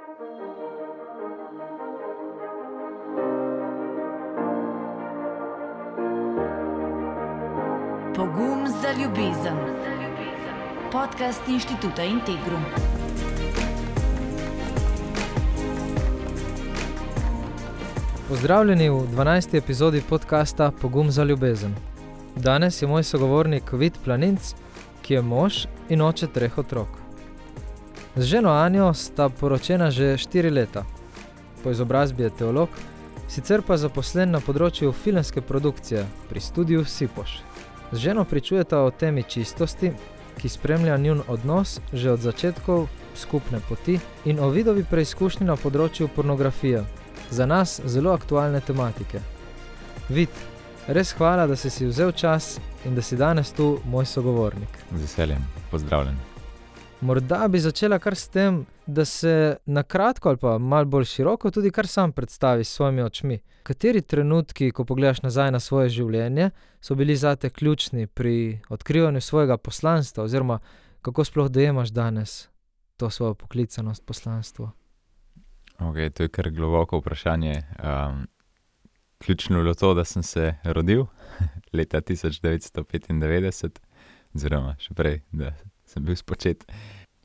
Pogum za ljubezen. Podcast Inštituta Integrum. Pozdravljeni v 12. epizodi podcasta Pogum za ljubezen. Danes je moj sogovornik Vid Planinc, ki je mož in oče 3 otrok. Z ženo Anjo sta poročena že 4 leta. Po izobrazbi je teolog, sicer pa zaposlen na področju filmske produkcije pri studiu Sipoš. Z ženo pričujeta o temi čistosti, ki spremlja njun odnos že od začetkov skupne poti, in o Vidovi preizkušnji na področju pornografije. Za nas zelo aktualne tematike. Vid, res hvala, da si vzel čas in da si danes tu moj sogovornik. Z veseljem, pozdravljen. Morda bi začela kar s tem, da se na kratko ali pa malo bolj široko tudi kar sam predstavi s svojimi očmi. Kateri trenutki, ko pogledaš nazaj na svoje življenje, so bili zate ključni pri odkrivanju svojega poslanstva, oziroma kako sploh dojemaš danes to svojo poklicanost, poslanstvo? Ok, to je kar globoko vprašanje. Ključno je bilo to, da sem se rodil leta 1995, oziroma še prej, da sem bil spočet.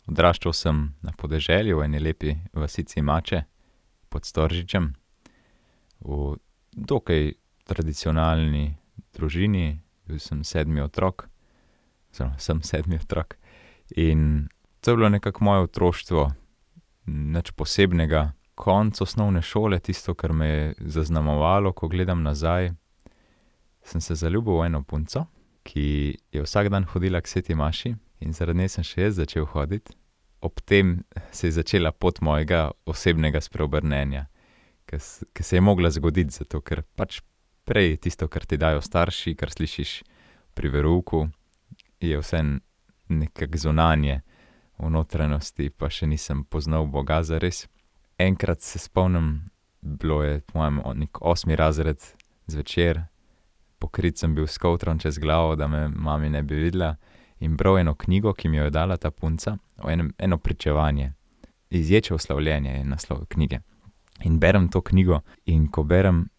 Odraščal sem na podeželju v eni lepi vasici Mače pod Storžičem, v dokaj tradicionalni družini. Bil sem 7. otrok, oziroma sem 7. otrok. In to je bilo nekako moje otroštvo, nič posebnega. Konec osnovne šole, tisto, kar me je zaznamovalo, ko gledam nazaj, sem se zaljubil v eno punco, ki je vsak dan hodila k sveti maši, in zaradi nje sem še jaz začel hoditi. Ob tem se je začela pot mojega osebnega spreobrnenja, ki se je mogla zgoditi, zato ker pač prej tisto, kar ti dajo starši, kar slišiš pri verouku, je vse nekako zunanje, v notranjosti pa še nisem poznal Boga zares. Enkrat se spomnim, bilo je po mojem nek 8. razred zvečer, pokrit sem bil s kovtrom čez glavo, da me mami ne bi videla, in bral eno knjigo, ki mi jo je dala ta punca, eno pričevanje. Izječev slavljenje je naslov knjige. In berem to knjigo, in ko berem,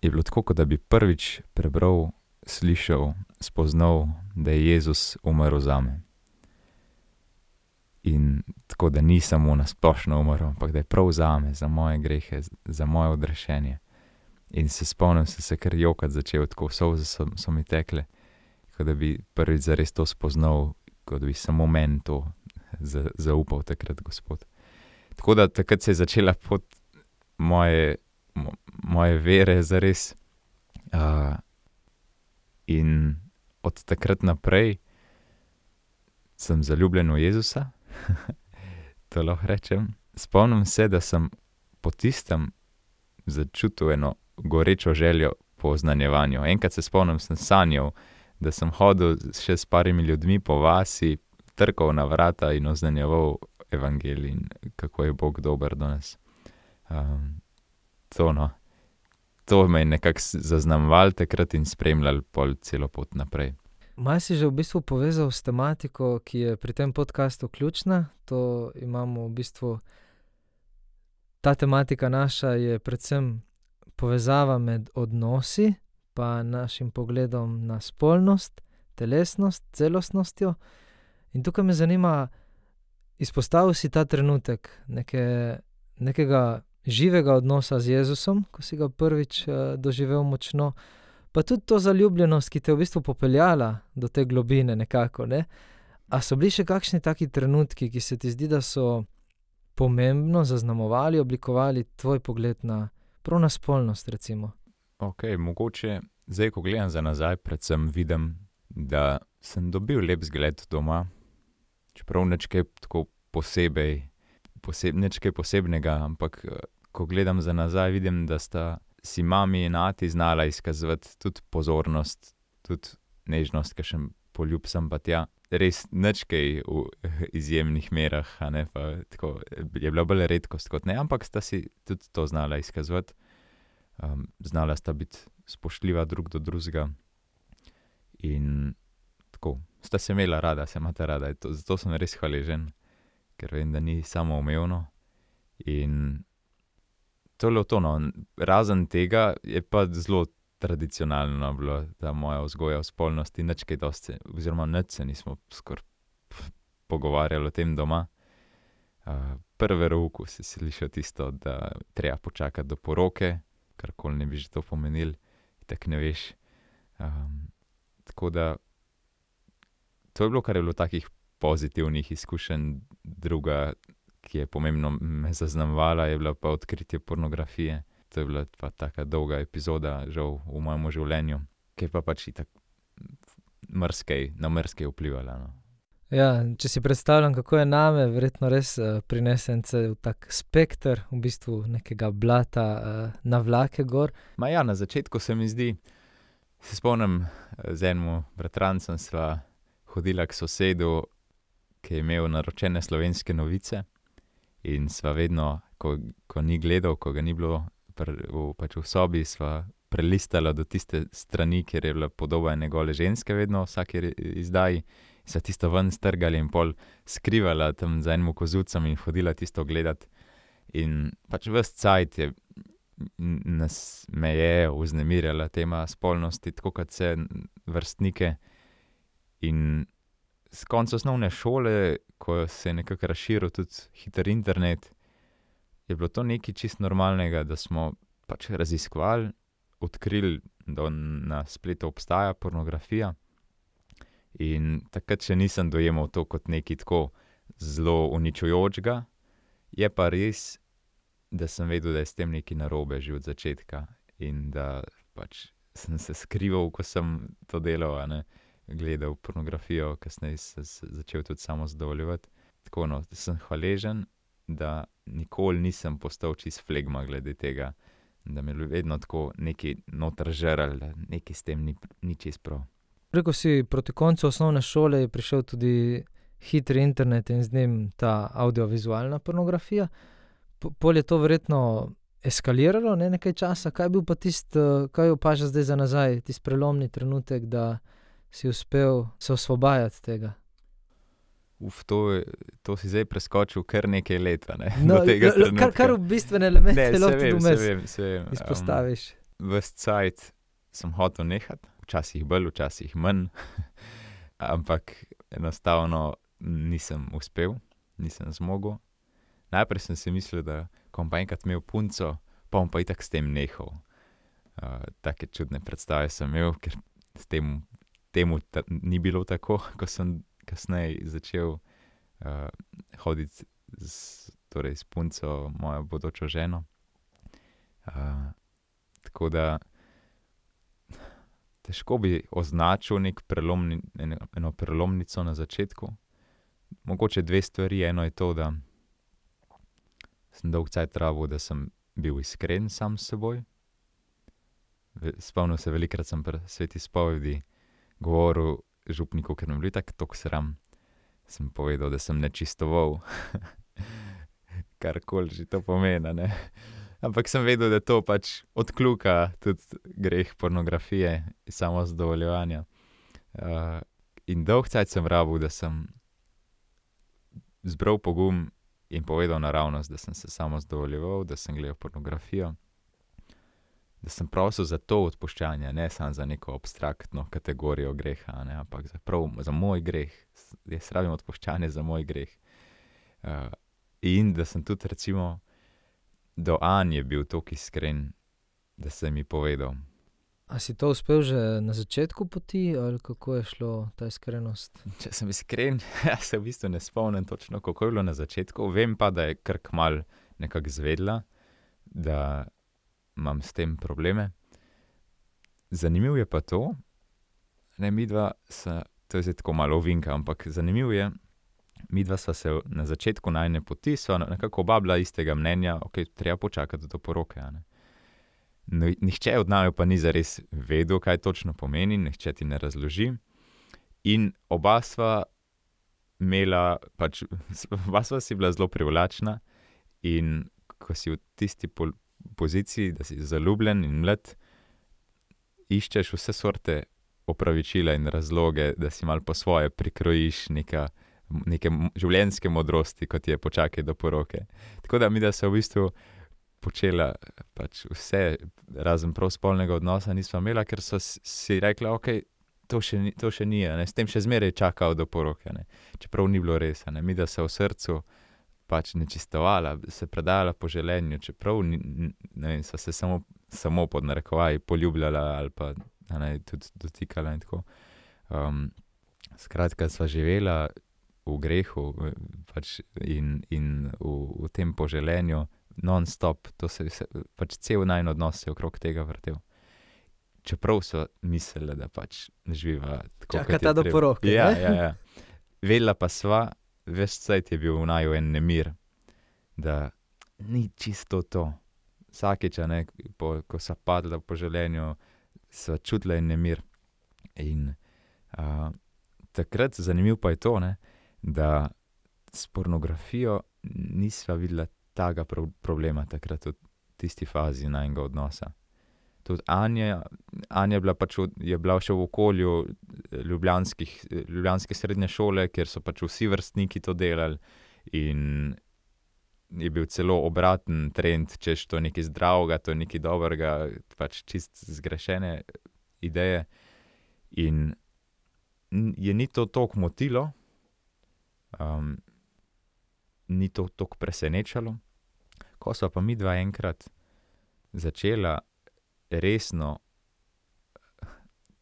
je bilo tako, kot da bi prvič prebral, slišal, spoznal, da je Jezus umrl zame. In tako, da ni samo na splošno umrl, ampak da je prav zame, za moje grehe, za moje odrešenje. In se spomnim, sem se kar jokati začel, tako solze so mi tekle, kot da bi prvič zares to spoznal, kot da bi samo meni to zaupal takrat Gospod. Tako da takrat se je začela pot moje vere zares. In od takrat naprej sem zaljubljen v Jezusa, to lahko rečem. Spomnim se, da sem po tistem začutil eno gorečo željo po oznanjevanju. Enkrat se spomnim, sem sanjal, da sem hodil še s parimi ljudmi po vasi, trkal na vrata in oznanjeval evangelij in kako je Bog dober do nas. To me je nekako zaznamoval takrat in spremljal pol celo pot naprej. Malo si že v bistvu povezal s tematiko, ki je pri tem podcastu ključna. To imamo v bistvu, ta tematika naša je predvsem povezava med odnosi pa našim pogledom na spolnost, telesnost, celostnostjo. In tukaj me zanima, izpostavil si ta trenutek nekega živega odnosa z Jezusom, ko si ga prvič doživel močno, pa tudi to zaljubljenost, ki te je v bistvu popeljala do te globine nekako, ne? A so bili še kakšni taki trenutki, ki se ti zdi, da so pomembno zaznamovali, oblikovali tvoj pogled prav na spolnost, recimo? Ok, mogoče zdaj, ko gledam za nazaj, predvsem vidim, da sem dobil lep zgled doma, čeprav nič kaj tako nič kaj posebnega, ampak ko gledam za nazaj, vidim, da sta si mami in ati znala izkazovati tudi pozornost, tudi nežnost, kakšen poljub sem pa tja. Res nič kaj v izjemnih merah, a ne, pa tako je bila bolj redkost kot ne, ampak sta si tudi to znala izkazovati. Znala sta biti spoštljiva drug do drugega in tako, sta se imela rada, se imata rada. Zato sem res hvaležen, ker vem, da ni samoumevno In to je bilo to, no. Razen tega je pa zelo tradicionalno bilo ta moja vzgoja o spolnosti, nič kaj dosti, oziroma nič se nismo skoraj pogovarjali o tem doma. Prvi verouku si slišal tisto, da treba počakati do poroke, karkoli ne bi že to pomenil, tako ne veš. Tako da to je bilo, kar je bilo takih pozitivnih izkušenj. Druga, ki je pomembno me zaznamovala, je bila pa odkritje pornografije. To je bila pa taka dolga epizoda, žal, v mojem življenju, ki je pa pač itak na marsikaj vplivala, no. Ja, če si predstavljam, kako je name, verjetno res prinese en cel tak spekter, v bistvu nekega blata na vlake gor. Ma ja, na začetku se mi zdi, se spomnim, z enim bratrancem sva hodila k sosedu, ki je imel naročene Slovenske novice, in sva vedno, ko ni gledal, ko ga ni bilo pač v sobi, sva prelistala do tiste strani, kjer je bila podoba ene gole ženske vedno v vsaki izdaji. Sva tisto ven strgali in pol skrivala tam za enim kozucem in hodila tisto gledat. In pač ves cajt me je vznemirjala tema spolnosti, tako kot vse vrstnike. In s konca osnovne šole, ko se je nekako razširil tudi hiter internet, je bilo to nekaj čisto normalnega, da smo pač raziskovali, odkrili, da na spletu obstaja pornografija. In takrat še nisem dojemal to kot nekaj tako zelo uničujočega. Je pa res, da sem vedel, da je s tem nekaj narobe že od začetka in da pač sem se skrival, ko sem to delal, gledal pornografijo, kasneje se začel tudi samo zadovoljevati. Tako, no, sem hvaležen, da nikoli nisem postal čist flegma glede tega, da me je vedno tako nekaj noter žrl, da nekaj s tem ni čist prav. Rekel si, proti koncu osnovne šole je prišel tudi hitri internet in z njim ta audiovizualna pornografija. Pol je to verjetno eskaliralo, nekaj časa. Kaj je bil pa kaj opažaš zdaj za nazaj, tisti prelomni trenutek, da si uspel se osvobajati tega? To si zdaj preskočil kar nekaj leta, No, do tega trenutka. kar v bistvene elemente Ne, lahko se vem. izpostaviš. Ves cajt sem hotel nehati, včasih bolj, včasih manj, ampak enostavno nisem uspel, nisem zmogel. Najprej sem si mislil, da ko bom pa enkrat imel punco, pa bom pa itak s tem nehal. Take čudne predstave sem imel, ker temu ni bilo tako, ko sem kasneje začel hoditi s punco, mojo bodočo ženo. Tako da težko bi označil eno prelomnico na začetku. Mogoče dve stvari. Eno je to, da sem dolgo cajt rabil, da sem bil iskren sam s seboj. Spomnil se, velikokrat sem pri sveti spovedi govoril župniku, ker me bilo itak toliko sram. Sem povedal, da sem nečistoval, karkoli že to pomeni, Ampak sem vedel, da to pač odkljuka tudi greh pornografije, samozadovoljevanja. In dolgo cajt sem rabil, da sem zbral pogum in povedal naravnost, da sem se samozadovoljeval, da sem gledal pornografijo, da sem prosil za to odpuščanje, ne samo za neko abstraktno kategorijo greha, ampak za moj greh. Jaz rabim odpuščanje za moj greh. In da sem tudi recimo do Anje bil toliko iskren, da sem mi povedal. A si to uspel že na začetku poti ali kako je šlo ta iskrenost? Če sem iskren, se v bistvu ne spomnim točno, kako je bilo na začetku. Vem pa, da je kar kmalu nekako izvedela, da imam s tem probleme. Zanimivo je pa to, midva to je zdaj tako malo ovinka, ampak zanimivo je, midva sva se na začetku najine poti, sva nekako oba bila istega mnenja, treba počakati do poroke, No, nihče od naju pa ni zares vedel, kaj točno pomeni, nihče ti ne razloži. In oba sva si bila zelo privlačna in ko si v tisti poziciji, da si zaljubljen in mlad, iščeš vse sorte opravičila in razloge, da si malo po svoje prikrojiš neka neke življenjske modrosti, kot je počakaj do poroke. Tako da mi, da se v bistvu počela pač vse, razen prav spolnega odnosa nisva imela, ker so si rekla, ok, to še ni, ne, s tem še zmeraj čakal do poroke, ne, čeprav ni bilo res, ne, mi, da se v srcu pač nečistovala, se predala po želenju, čeprav ne vem, so se samo pod narekovaji poljubljala ali pa ne, tudi dotikala in tako. Skratka, sva živela v grehu pač in v tem poželenju non-stop, to se pač cel najin odnos se okrog tega vrtel. Čeprav so mislili, da pač živiva tako, čakata do poroke. Ja. Vedela pa sva, ves cajt je bil v naju en nemir, da ni čisto to. Vsakič, ne, ko sva padla po želenju, sva čutila en nemir. In takrat, zanimivo pa je to, ne, da s pornografijo nisva videla tega problema takrat v tisti fazi najnega odnosa. Tudi Anja je bila še v okolju ljubljanske srednje šole, kjer so pač vsi vrstniki to delali in je bil celo obraten trend, češ to je nekaj zdravega, to je nekaj dobrega, pač čist zgrešene ideje. In je ni to toliko motilo, ni to toliko presenečalo. Ko sva pa midva enkrat začela resno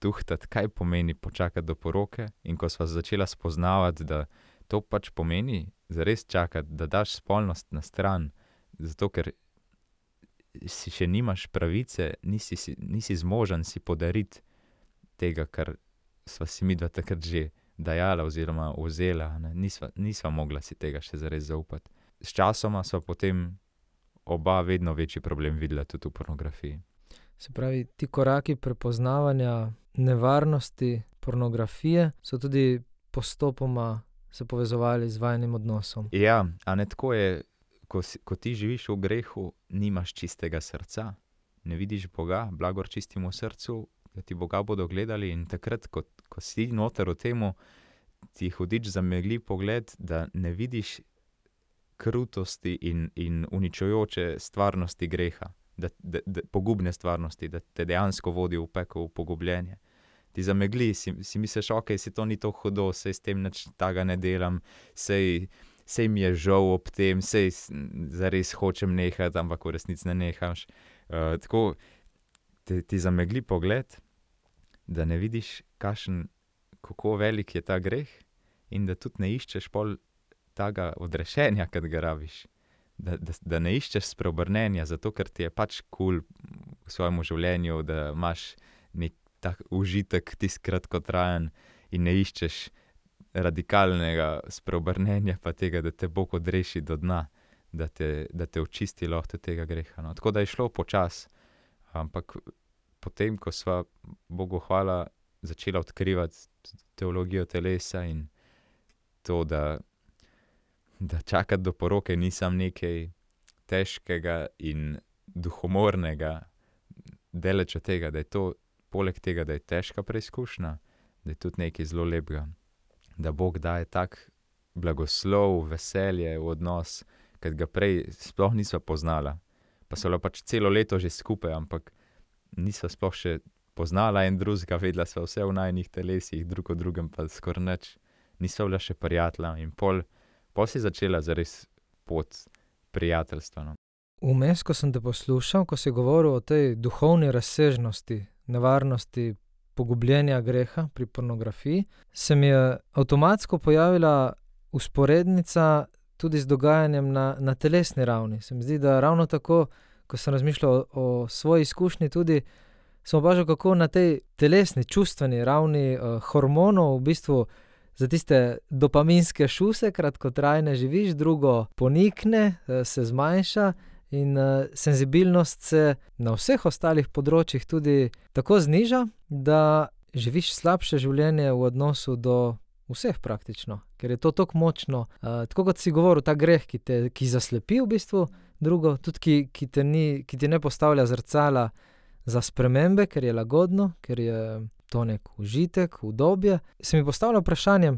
tuhtati, kaj pomeni počakati do poroke, in ko sva začela spoznavati, da to pač pomeni zares čakati, da daš spolnost na stran, zato ker si še nimaš pravice, nisi zmožen si podariti tega, kar sva si midva takrat že dajala oziroma vzela, ne? Nisva mogla si tega še zares zaupati. S časoma sva potem oba vedno večji problem videla tudi v pornografiji. Se pravi, ti koraki prepoznavanja nevarnosti pornografije so tudi postopoma se povezovali z vajnim odnosom. Ja, a ne tako je, ko ti živiš v grehu, nimaš čistega srca, ne vidiš Boga, blagor čistimo srcu, da ti Boga bodo gledali, in takrat, ko si noter v temu, ti hudič zamegli pogled, da ne vidiš krutosti in uničujoče stvarnosti greha, da pogubne stvarnosti, da te dejansko vodi v pekel, v pogubljenje. Ti zamegli, si misliš, ok, si to ni to hudo, sej s tem nič tega ne delam, sej mi je žal ob tem, sej zares hočem nehati, ampak v resnici ne nehaš. Tako ti zamegli pogled, da ne vidiš, kako velik je ta greh, in da tudi ne iščeš pol tega odrešenja, kad ga rabiš. Da ne iščeš spreobrnenja, zato ker ti je pač cool v svojemu življenju, da imaš nek tak užitek tisti kratkotrajen in ne iščeš radikalnega spreobrnenja pa tega, da te Bog odreši do dna, da te očisti lahko tega greha. No. Tako da je šlo počas, ampak potem, ko sva, Bogu hvala, začela odkrivati teologijo telesa in to, da čakati do poroke ni samo nekaj težkega in duhomornega, daleč od tega, da je to, poleg tega, da je težka preizkušnja, da je tudi nekaj zelo lepega, da Bog daje tak blagoslov, veselje v odnos, kad ga prej sploh nisva poznala. Pa so bila pač celo leto že skupaj, ampak nisva sploh še poznala en drugega, vedela sva vse v najinih telesih, drug o drugem pa skoraj nič. Nisva bila še prijatelja in pol si začela zares pot prijateljstva. No. Vmes, ko sem te poslušal, ko si govoril o tej duhovni razsežnosti, nevarnosti pogubljenja greha pri pornografiji, se mi je avtomatsko pojavila vzporednica tudi z dogajanjem na telesni ravni. Se mi zdi, da ravno tako, ko sem razmišljal o svoji izkušnji tudi, sem opažal, kako na tej telesni, čustveni ravni hormonov v bistvu za tiste dopaminske šuse kratkotrajne živiš, drugo ponikne, se zmanjša in senzibilnost se na vseh ostalih področjih tudi tako zniža, da živiš slabše življenje v odnosu do vseh praktično, ker je to tako močno. Tako kot si govoril, ta greh, ki zaslepi v bistvu, drugo, tudi ki ti ne postavlja zrcala za spremembe, ker je lagodno, ker je to nek užitek, udobje. Se mi postavlja vprašanje,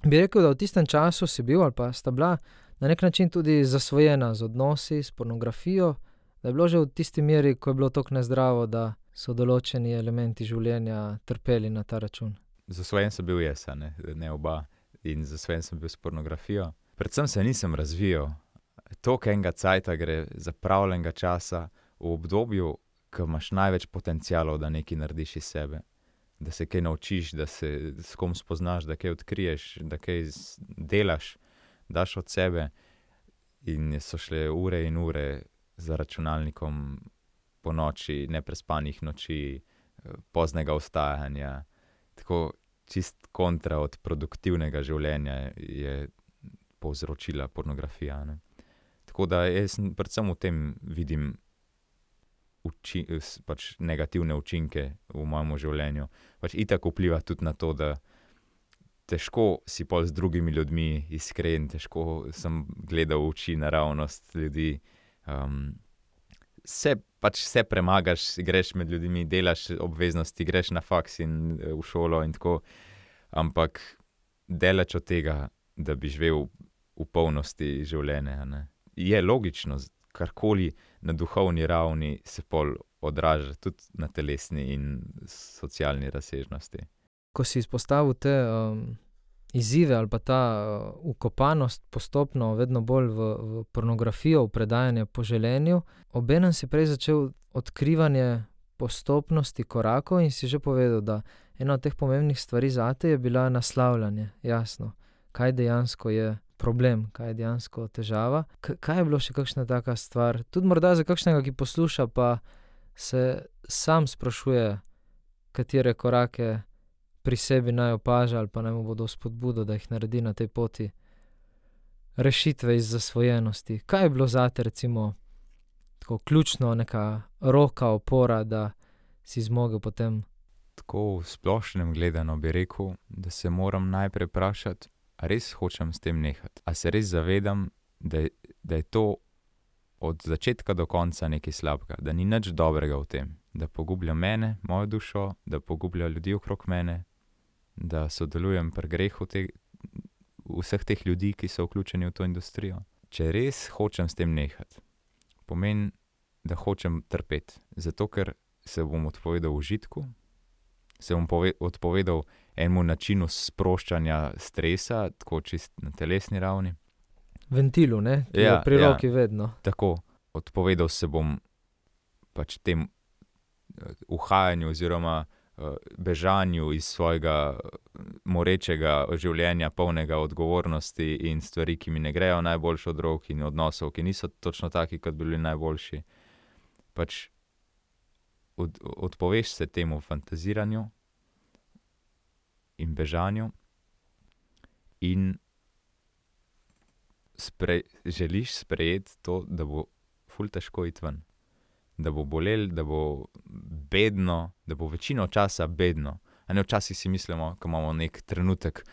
bi rekel, da v tistem času si bil ali pa sta bila na nek način tudi zasvojena z odnosi, s pornografijo, da je bilo že v tisti meri, ko je bilo toliko nezdravo, da so določeni elementi življenja trpeli na ta račun. Zasvojen sem bil jaz, ne oba. In zasvojen sem bil s pornografijo. Predvsem se nisem razvijal. Toliko enega cajta gre zapravljenega časa v obdobju, ko imaš največ potencialov, da nekaj narediš iz sebe. Da se kaj naučiš, da se s kom spoznaš, da kaj odkriješ, da kaj delaš, daš od sebe. In so šle ure in ure za računalnikom po noči, neprespanih noči, poznega vstajanja. Tako čist kontra od produktivnega življenja je povzročila pornografija, ne. Tako da jaz predvsem v tem vidim pač negativne učinke v mojem življenju. Pač itak vpliva tudi na to, da težko si pol z drugimi ljudmi iskren, težko sem gledal v oči naravnost ljudi. Vse premagaš, greš med ljudmi, delaš obveznosti, greš na faks in v šolo in tako, ampak daleč od tega, da bi živel v polnosti življenja, ne. Je logično, karkoli na duhovni ravni se pol odraža tudi na telesni in socialni razsežnosti. Ko si izpostavil te izzive ali pa ta vkopanost postopno vedno bolj v pornografijo, v predajanje po želenju, obenem si prej začel odkrivanje postopnosti korakov in si že povedal, da ena od teh pomembnih stvari zate je bila naslavljanje, jasno, kaj dejansko je problem, kaj je dejansko težava. Kaj je bilo še kakšna taka stvar, tudi morda za kakšnega, ki posluša, pa se sam sprašuje, katere korake pri sebi naj opaža ali pa naj mu bodo spodbudo, da jih naredi na tej poti rešitve iz zasvojenosti. Kaj je bilo zate recimo tako ključno, neka roka, opora, da si zmogel potem? Tako v splošnem gledano bi rekel, da se moram najprej vprašati, a res hočem s tem nehati. A se res zavedam, da je to od začetka do konca nekaj slabega, da ni nič dobrega v tem, da pogublja mene, mojo dušo, da pogublja ljudi okrog mene, da sodelujem pri grehu vseh teh ljudi, ki so vključeni v to industrijo. Če res hočem s tem nehati, pomeni, da hočem trpeti, zato ker se bom odpovedal užitku, se bom odpovedal enemu načinu sproščanja stresa, tako čist na telesni ravni. Ventilu, ne? Ki je pri roki vedno. Tako, odpovedal se bom pač tem uhajanju oziroma bežanju iz svojega morečega življenja, polnega odgovornosti in stvari, ki mi ne grejo najboljše od rok in odnosov, ki niso točno taki, kot bi bili najboljši. Pač odpoveš se temu fantaziranju in bežanju in želiš sprejeti to, da bo ful težko iti ven. Da bo bolel, da bo bedno, da bo večino časa bedno. A ne, včasih si mislimo, ko imamo nek trenutek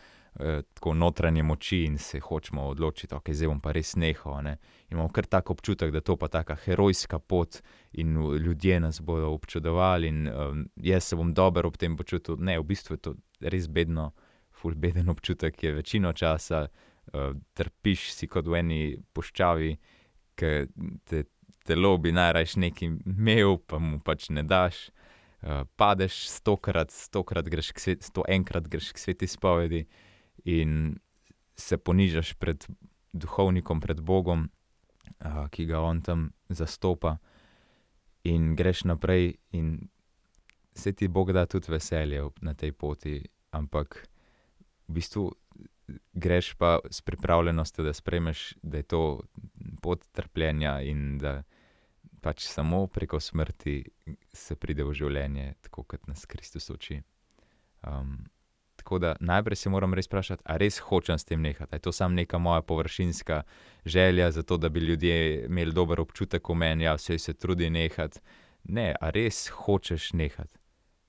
tako notranje moči in se hočemo odločiti, ok, zdaj bom pa res nehal, ne. Imamo kar tak občutek, da to pa taka herojska pot in ljudje nas bodo občudovali in jaz se bom dobro ob tem počutil. Ne, v bistvu je to res bedno, ful beden občutek je večino časa, trpiš si kot v eni puščavi, ker te telo bi najrajš nekaj imel, pa mu pač ne daš. Padeš 100-krat greš k 101-krat greš k sveti spovedi in se ponižaš pred duhovnikom, pred Bogom, ki ga on tam zastopa, in greš naprej in se ti Bog da tudi veselje na tej poti, ampak v bistvu greš pa s pripravljenostjo, da sprejmeš, da je to pot trpljenja in da pač samo preko smrti se pride v življenje, tako kot nas Kristus uči. Tako da najprej se moram res vprašati, a res hočem s tem nehati. A je to samo neka moja površinska želja, zato da bi ljudje imeli dober občutek v meni, ja, vse se trudi nehati. Ne, a res hočeš nehati?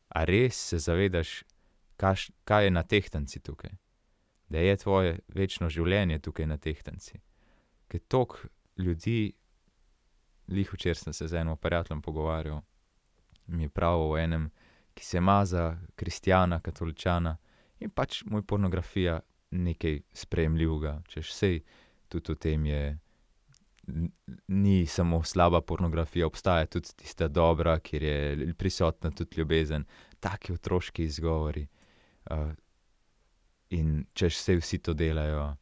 A res se zavedaš, kaj je na tehtnici tukaj? Da je tvoje večno življenje tukaj na tehtnici. Ker toliko ljudi, glih včeraj sem se z enim prijateljem pogovarjal, mi je pravil o enem, ki se ima za kristjana, katoličana, in pač mu je pornografija nekaj sprejemljivega, češ sej tudi v tem je, ni samo slaba pornografija, obstaja tudi tista dobra, kjer je prisotna tudi ljubezen, taki otroški izgovori. In češ sej vsi to delajo.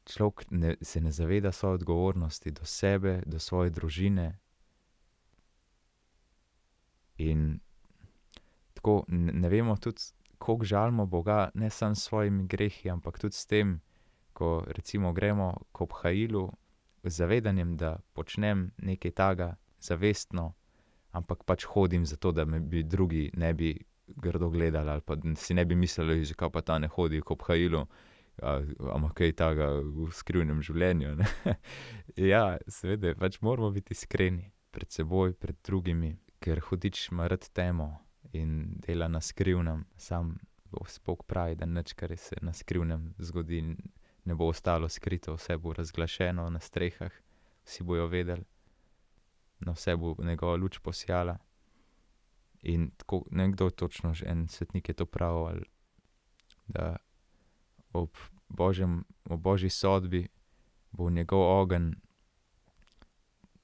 Človek se ne zaveda svoje odgovornosti do sebe, do svoje družine. In tako ne vemo tudi, koliko žalimo Boga, ne samo s svojimi grehi, ampak tudi s tem, ko recimo gremo k obhajilu z zavedanjem, da počnem nekaj takega zavestno, ampak pač hodim zato, da me bi drugi ne bi grdo gledali ali pa si ne bi mislili, zakaj pa ta ne hodi k obhajilu, ampak kaj takega v skrivnem življenju. Ne? Ja, seveda, pač moramo biti iskreni pred seboj, pred drugimi, ker hudič ima rad temo in dela na skrivnem. Sam Bog pravi, da nič, kar se na skrivnem zgodi, ne bo ostalo skrito, vse bo razglašeno na strehah, vsi bojo vedeli, na vse bo njegova luč posijala. In tako, nekdo točno, en svetnik je to pravil, da ob božji sodbi bo njegov ogenj,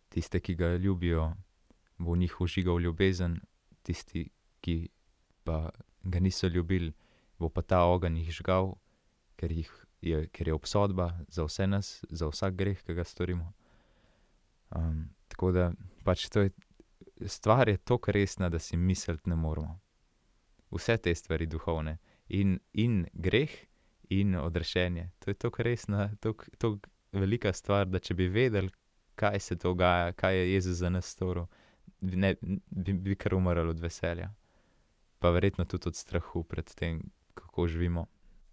tiste, ki ga ljubijo, bo v njih vžigal ljubezen, tisti, ki pa ga niso ljubili, bo pa ta ogenj jih žgal, ker je obsodba za vse nas, za vsak greh, ki ga storimo. Tako da pač stvar je toliko resna, da si misliti ne moremo. Vse te stvari duhovne in greh in odrešenje. To je toliko resna, toliko velika stvar, da če bi vedeli, kaj se dogaja, kaj je Jezus za nas storil, bi kar umrli od veselja. Pa verjetno tudi od strahu pred tem, kako živimo.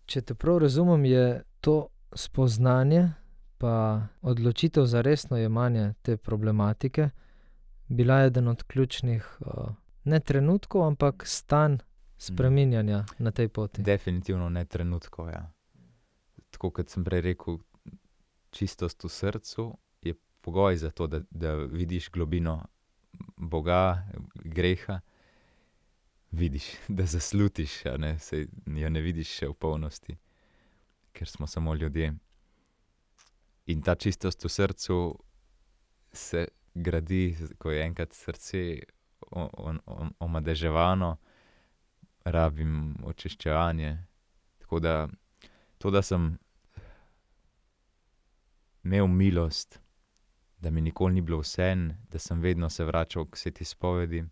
Če te prav razumem, je to spoznanje pa odločitev za resno jemanje te problematike bila eden od ključnih, ne trenutkov, ampak stanj spreminjanja na tej poti. Definitivno ne trenutkov, ja. Tako kot sem prej rekel, čistost v srcu je pogoj za to, da vidiš globino Boga, greha, vidiš, da zaslutiš, saj jo ne vidiš še v polnosti, ker smo samo ljudje. In ta čistost v srcu se gradi, ko je enkrat srce omadeževano, rabim očiščevanje. Tako da to, da sem imel milost, da mi nikoli ni bilo vseeno, da sem vedno se vračal k sveti spovedi,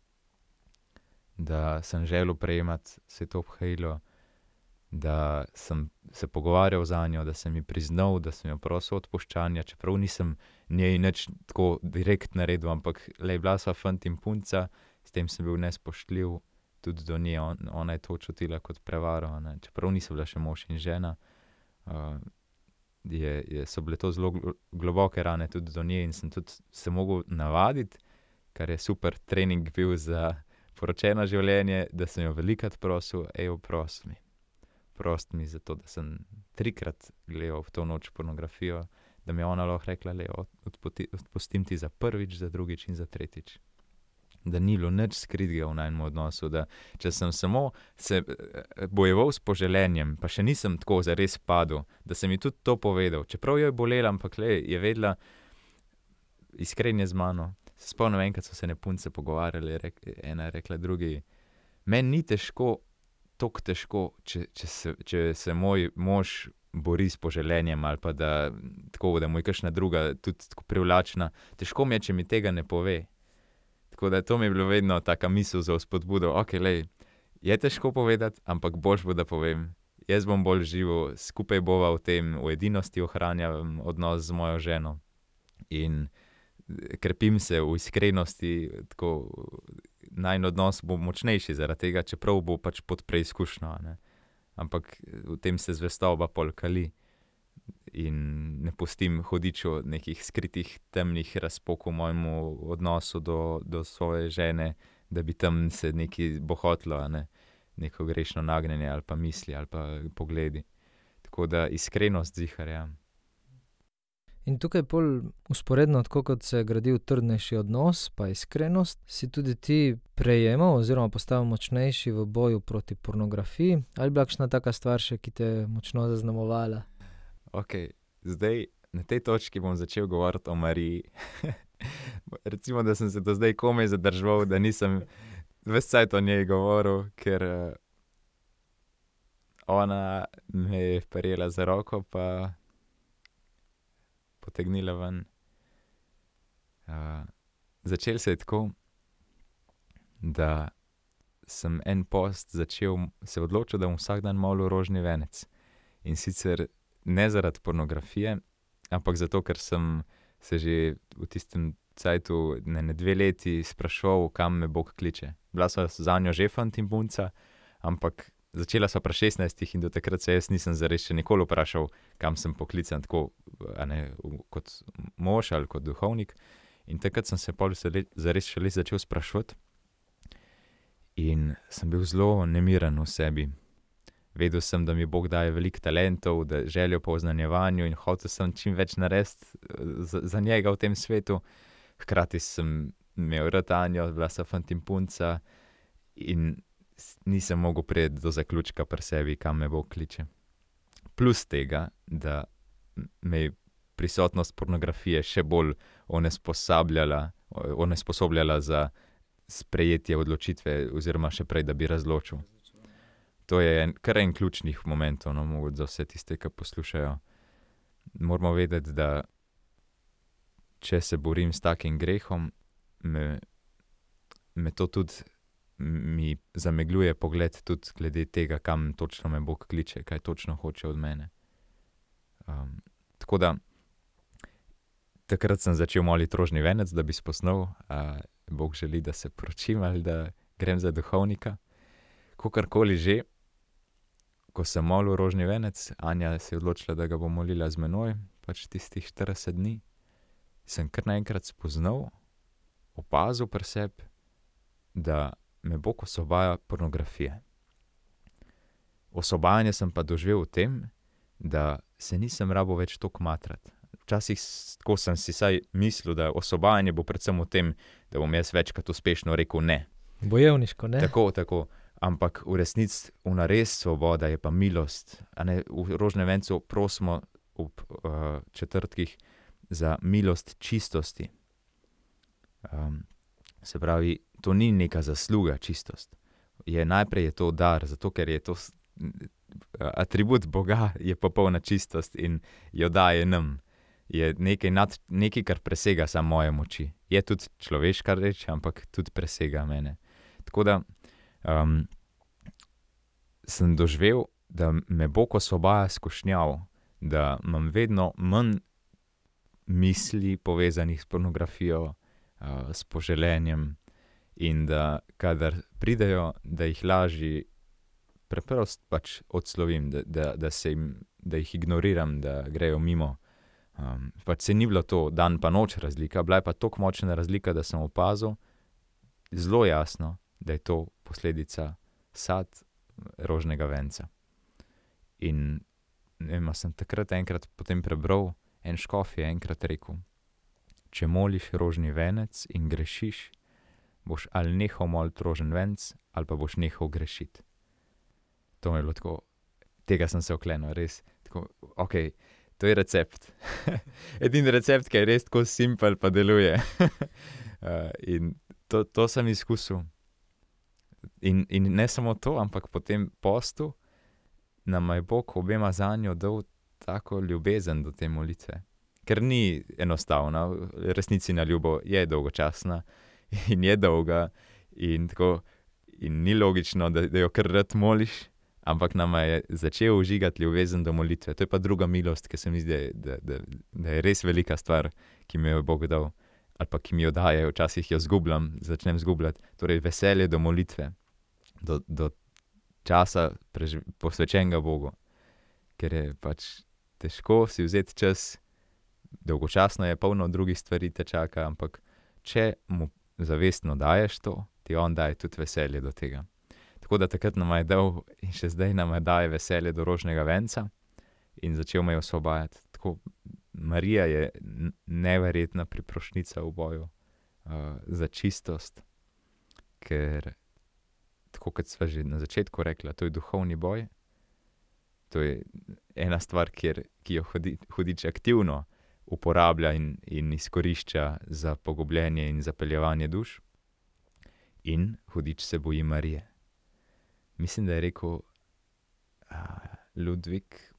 da sem želel prejemati sveto obhajilo, da sem se pogovarjal zanjo, da sem ji priznal, da sem jo prosil odpuščanja, čeprav nisem njej nič tako direkt naredil, ampak bila sva fant in punca, s tem sem bil nespoštljiv tudi do nje, ona je to čutila kot prevaro, čeprav niso bila še mož in žena, so bile to zelo globoke rane tudi do nje in sem tudi se mogel navaditi, kar je super trening bil za poročeno življenje, da sem jo velikrat prosil, prosti mi za to, da sem 3-krat gledal v to noč pornografijo, da mi je ona lahko rekla, odpustim ti za prvič, za drugič in za tretjič. Da ni bilo nič skritega v najnem odnosu, da če sem samo se bojeval s poželenjem, pa še nisem tako zares padel, da sem ji tudi to povedal, čeprav jo je bolela, ampak je vedela iskrenje z mano. Se spomnim, enkrat so se ne punce pogovarjali, ena je rekla drugi, meni ni težko, toliko težko, če se moj mož bori s poželenjem ali pa da mu je kakšna druga tudi tako privlačna, težko mi je, če mi tega ne pove. Tako da to mi je bilo vedno taka misel za vzpodbudo, je težko povedati, ampak boljš bo, da povem. Jaz bom bolj živel, skupaj bova v tem, v edinosti ohranjam odnos z mojo ženo in krepim se v iskrenosti, tako najin odnos bo močnejši zaradi tega, čeprav bo pač pod preizkušnjo, ampak v tem se zvestoba pol kali in ne pustim hudiču nekih skritih temnih razpokov v mojemu odnosu do svoje žene, da bi tam se nekaj bohotlo, neko grešno nagnjenje ali pa misli ali pa pogledi. Tako da iskrenost zihar, ja. In tukaj pol usporedno, tako kot se je gradil trdnejši odnos, pa iskrenost, si tudi ti prejemal oziroma postal močnejši v boju proti pornografiji, ali bila kakšna taka stvar še, ki te je močno zaznamovala? Ok, zdaj na tej točki bom začel govoriti o Mariji. Recimo, da sem se do zdaj komaj zadržal, da nisem ves cajt o njej govoril, ker ona me je prijela za roko pa potegnila ven. Začelo se je tako, da sem en post se odločil, da bom vsak dan molil rožni venec. In sicer ne zaradi pornografije, ampak zato, ker sem se že v tistem cajtu ne 2 leti spraševal, kam me Bog kliče. Bila sva zanjo že fant in punca, ampak začela sva pri 16 in do takrat se jaz nisem zares še nikoli vprašal, kam sem poklican, tako kot mož ali kot duhovnik. In takrat sem se pol zares šele začel spraševati in sem bil zelo nemiren v sebi. Vedel sem, da mi Bog daje veliko talentov, da željo po oznanjevanju in hotel sem čim več narediti za njega v tem svetu. Hkrati sem imel rad Anjo, bila sva fant in punca in nisem mogel priti do zaključka pri sebi, kam me Bog kliče. Plus tega, da me je prisotnost pornografije še bolj onesposobljala za sprejetje odločitve oziroma še prej, da bi razločil. To je kar en ključnih momentov, mogoče za vse tiste, ki poslušajo. Moramo vedeti, da če se borim s takim grehom, me to tudi mi zamegljuje pogled tudi glede tega, kam točno me Bog kliče, kaj točno hoče od mene. Tako da takrat sem začel moliti rožni venec, da bi spoznal, Bog želi, da se poročim ali da grem za duhovnika. Kakorkoli že, ko sem molil rožni venec, Anja se je odločila, da ga bo molila z menoj, pač tistih 40 dni, sem kar naenkrat spoznal, opazil pri sebi, da me Bog osvobaja pornografije. Osvobajanje sem pa doživel v tem, da se nisem rabil več toliko matrati. Včasih tako sem si saj mislil, da osvobajanje bo predvsem v tem, da bom jaz večkrat uspešno rekel ne. Bojevniško, ne? Tako. Ampak v resnici ona res svoboda je pa milost. V rožnem vencu prosimo ob četrtkih za milost čistosti. Se pravi, to ni neka zasluga, čistost. Najprej je to dar, zato ker je to atribut Boga, je popolna čistost in jo daje nam. Je nekaj, kar presega samo moje moči. Je tudi človeška reč, ampak tudi presega mene. Tako da sem doživel, da me Bog osvobaja skušnjav, da imam vedno manj misli povezanih s pornografijo, s poželenjem in da kadar pridejo, da jih lažje preprosto pač odslovim, da jih ignoriram, da grejo mimo. Pač se ni bilo to dan pa noč razlika, bila je pa toliko močna razlika, da sem opazil zelo jasno, da je to posledica sad rožnega venca. In sem takrat enkrat potem prebral, en škof je enkrat rekel, če moliš rožni venec in grešiš, boš ali nehal moliti rožen venc, ali pa boš nehal grešiti. To mi je bilo tako, tega sem se oklenil, res, tako, okej, to je recept. Edini recept, ki je res tako simpel pa deluje. In to sem izkusil. In ne samo to, ampak po tem postu nam je Bog obema zanjo dal tako ljubezen do te molitve. Ker ni enostavna, resnici na ljubo je dolgočasna in je dolga in tako, in ni logično, da jo kar rad moliš, ampak nama je začel užigati ljubezen do molitve. To je pa druga milost, ki se mi zdi, da je res velika stvar, ki mi jo je Bog dal, ali pa ki mi jo daje, včasih jo začnem zgubljati. Torej veselje do molitve, do časa posvečenega Bogu, ker je pač težko si vzeti čas, dolgočasno je, polno drugih stvari te čaka, ampak če mu zavestno daješ to, ti on daje tudi veselje do tega. Tako da takrat nama je dal in še zdaj nama daje veselje do rožnega venca in začel me je osvobajati. Tako Marija je neverjetna priprošnica v boju za čistost, ker tako kot sva že na začetku rekla, to je duhovni boj. To je ena stvar, ki jo hudič aktivno uporablja in izkorišča za pogubljenje in zapeljevanje duš. In hudič se boji Marije. Mislim, da je rekel Ludvik,